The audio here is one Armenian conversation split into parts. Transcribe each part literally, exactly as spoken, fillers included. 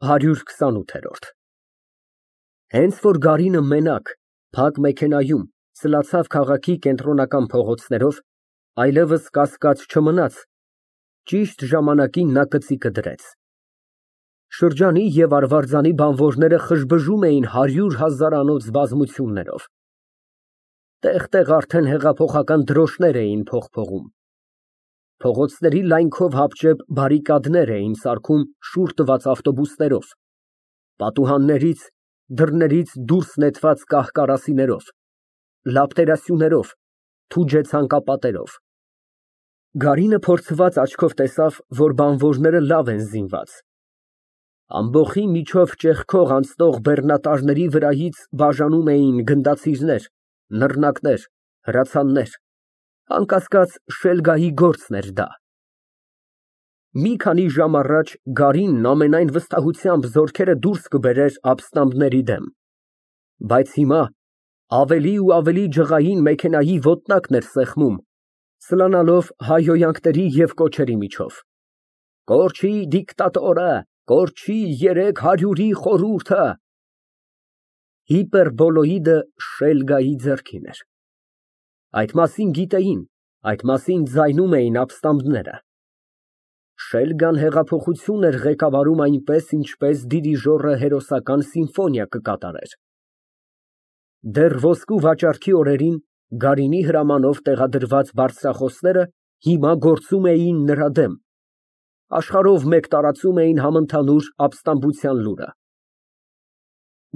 հարյուր քսանութ Հենց որ Գարինը մենակ, փակ մեքենայում սլացավ քաղաքի կենտրոնական փողոցներով, այլևս կասկած չմնաց, ճիշտ ժամանակին նա կծիկը դրեց։ Շրջանի և Արվարձանի բանվորները խժբժում էին հարյուր հազարանոց բազմություններով։ Տեղ֊տեղ արդեն հեղափոխական դրոշներ էին փողփողում։ Փողոցների լայնքով հապճեպ բարիկադներ էին սարքում շուռ տված ավտոբուսներով, պատուհաններից, դռներից դուրս նետված կահ֊կարասիներով, լապտերասյուներով, թուջե ցանկապատերով։ Գարինը փորձված աչքով տեսավ, որ բանվորները լավ են զինված։ Ամբոխի միջով ճեղքող անցնող բեռնատարների վրայից բաժանում էին գնդացիրներ, նռնակներ, հրացաններ, անկասկած, շելգայի գործն էր դա։ Մի քանի ժամ առաջ Գարինն ամենայն վստահությամբ զորքերը դուրս կբերեր ապստամբների դեմ, բայց հիմա ավելի ու ավելի ջղային մեքենայի ոտնակն էր սեղմում, սլանալով հայհոյանքների և կոչերի միջով. «Կորչի դիկտատորը, կորչի երեք հարյուրի խորհուրդը»։ Հիպերբոլոիդը շելգայի ձեռքին էր։ Այդ մասին գիտեին, այդ մասին ձայնում էին ապստամբները։ Շելգան հեղափոխություն էր ղեկավարում այնպես, ինչպես դիրիժորը հերոսական սիմֆոնիա կկատարեր։ Դեռ ոսկու վաճառքի օրերին Գարինի հրամանով տեղադրված բարձրախոսները հիմա գործում էին նրա դեմ, աշխարհով մեկ տարածում էին համընդհանուր ապստամբության լուրը։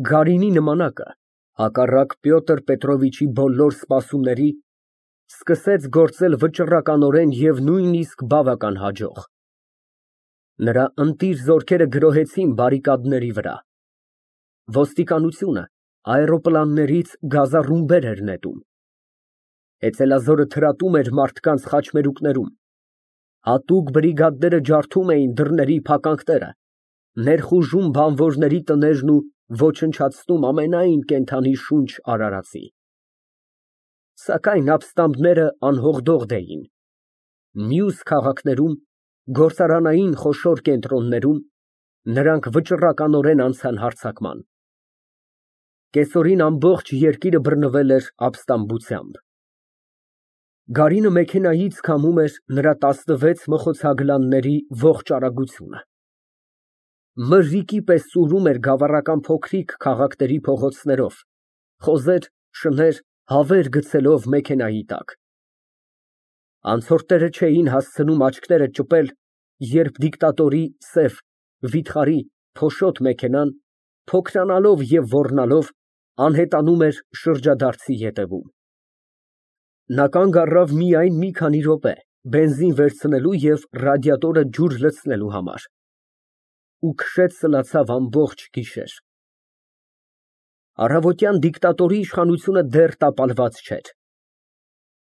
Գարինի նմանակը, հակառակ Պյոտր Պետրովիչի բոլոր սպասումների, սկսեց գործել վճռականորեն և նույնիսկ բավական հաջող։ Նրա ընտիր զորքերը գրոհեցին բարիկադների վրա։ Ոստիկանությունը աէրոպլաններից գազառումբեր էր նետում։ Հեծելազորը թրատում էր մարդկանց խաչմերուկներում։ Հատուկ բրիգադները ջարդում էին դռների փականքները, ներխուժում բանվորների տներն ու ոչնչացնում ամենայն կենդանի շունչ արարածի։ Սակայն ապստամբները անհողդողդ էին։ Մյուս քաղաքներում, գործարանային խոշոր կենտրոններում նրանք վճռականորեն անցան հարձակման։ Կեսօրին ամբողջ երկիրը բռնվել էր ապստամբությամբ։ Գարինը մեքենայից քամում էր նրա տասնվեց մխոցագլանների ողջ արագությունը։ Մրրիկի պես սուրում էր գավառական փոքրիկ քաղաքների փողոցներով, խոզեր, շներ, հավեր գցելով մեքենայի տակ։ Անցորդները չէին հասցնում աչքները ճպել, երբ դիկտատորի սև, վիթխարի, փոշոտ մեքենան, փոքրանալով և ոռնալով, անհետանում էր շրջադարձի ետևում։ Նա կանգ առավ միայն մի քանի րոպե, բենզին վերցնելու և ռադիատորը ջուր լցնելու համար, ու քշեց սլացավ ամբողջ գիշեր։ Առավոտյան դիկտատորի իշխանությունը դեռ տապալված չէր։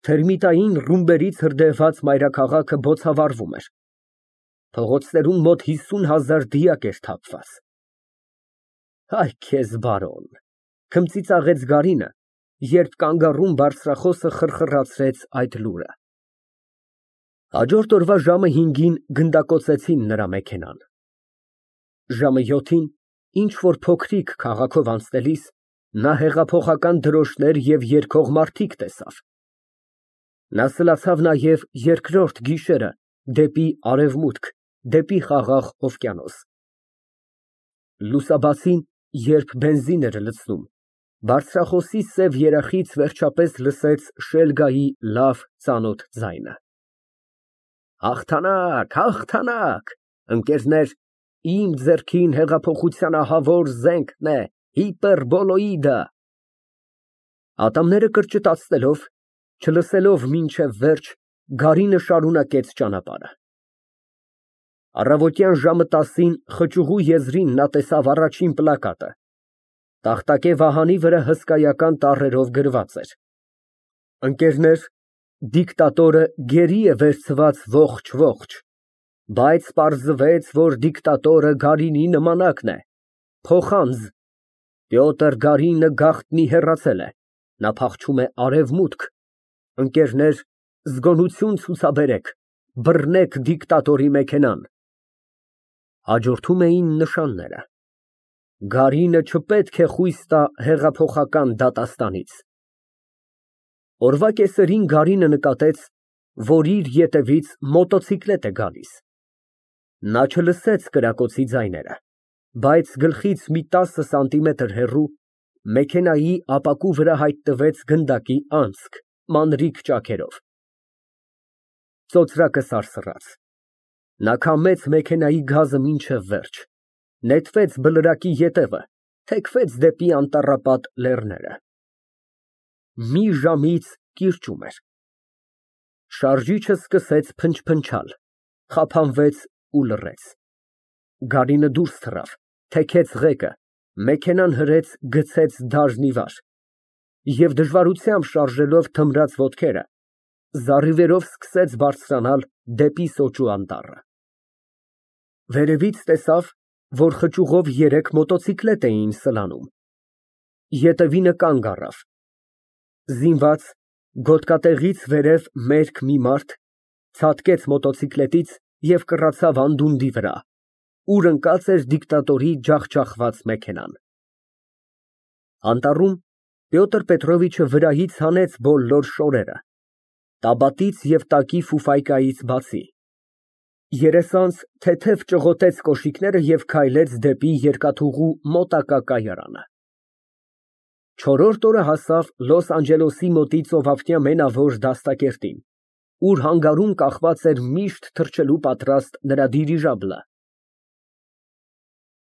Թերմիտային ռումբերից հրդեհված մայրաքաղաքը բոցավառվում էր։ Փողոցներում մոտ հիսուն հազար դիակ էր թափված։ Այ քեզ բարոն, քմծիծաղեց Գարինը, երբ կանգառում բարձրախոսը խռխռացրեց այդ լուրը։ Հաջորդ օրվա ժամը հինգին գնդակոծեցին նրա մեքենան։ Ժամը յոթին ինչ֊որ փոքրիկ քաղաքով անցնելիս նա հեղափոխական դրոշներ և երգող մարդիկ տեսավ։ Նա սլացավ նաև երկրորդ գիշերը դեպի արևմուտք, դեպի խաղաղ օվկիանոս։ Լուսաբացին, երբ բենզին էր լցնում, բարձրախոսի սև երախից վերջապես լսեց շելգայի լավ ծանոթ ձայնը։ Հաղթանակ, հաղթանակ, ընկերներ, իմ ձեռքին հեղափոխության ահավոր զենքն է, հիպերբոլոիդը։ Ատամները կրճտացնելով, չլսելով մինչև վերջ, Գարինը շարունակեց ճանապարհը։ Առավոտյան ժամը տասին խճուղու եզրին նա տեսավ առաջին պլակատը։ Տախտակե վահանի վրա հսկայական տառերով գրված էր. «Ընկերներ, դիկտատորը գերի է վերցված ողջ֊ողջ, բայց պարզվեց, որ դիկտատորը Գարինի նմանակն է, փոխանձ, Պյոտր Գարինը գաղտնի հեռացել է, նա փախչում է արևմուտք, ընկերներ, զգոնություն ցուցաբերեք, բռնեք դիկտատորի մեքենան»։ Հաջորդում էին նշանները։ Գարինը չպետք է խույս տա հեղափոխական դատաստանից։ Օրվա կեսերին Գարինը նկատեց, որ իր ետևից մոտոցիկլետ է գալիս։ Նա չլսեց կրակոցի ձայները, բայց գլխից մի տասը սանտիմետր հեռու մեքենայի ապակու վրա հայտնվեց գնդակի անցք մանրիկ ճաքերով։ Ծոծրակը սարսռաց։ Նա քամեց մեքենայի գազը մինչև վերջ, նետվեց բլրակի ետևը, թեքվեց դեպի անտառապատ լեռները։ Մի ժամից կիրճում էր։ Շարժիչը սկսեց փնչփնչալ, խափանվեց ու լռեց։ Գարինը դուրս թռավ, թեքեց ղեկը, մեքենան հրեց, գցեց դաժնի վար և դժվարությամբ շարժելով թմրած ոտքերը, զառիվերով սկսեց բարձրանալ դեպի սոճու անտառը։ Վերևից տեսավ, որ խճուղով երեք մոտոցիկլետ էին սլանում։ Ետևինը կանգ առավ։ Զինված, գոտկատեղից վերև մերկ մի մարդ ցատկեց մոտոցիկլետից և կռացավ անդունդի վրա, ուր ընկած էր դիկտատորի ջախջախված մեքենան։ Անտառում Պյոտր Պետրովիչը վրայից հանեց բոլոր շորերը, տաբատից և տակի ֆուֆայկայից բացի, երեսանց թեթև ճղոտեց կոշիկները և քայլեց դեպի երկաթուղու մոտակա կայարանը։ Չորրորդ օրը հասավ Լոս Անջելեսի մոտի ծովափնյա մենավոր դաստակերտին, ուր հանգարում կախված էր միշտ թռչելու պատրաստ նրա դիրիժաբլը։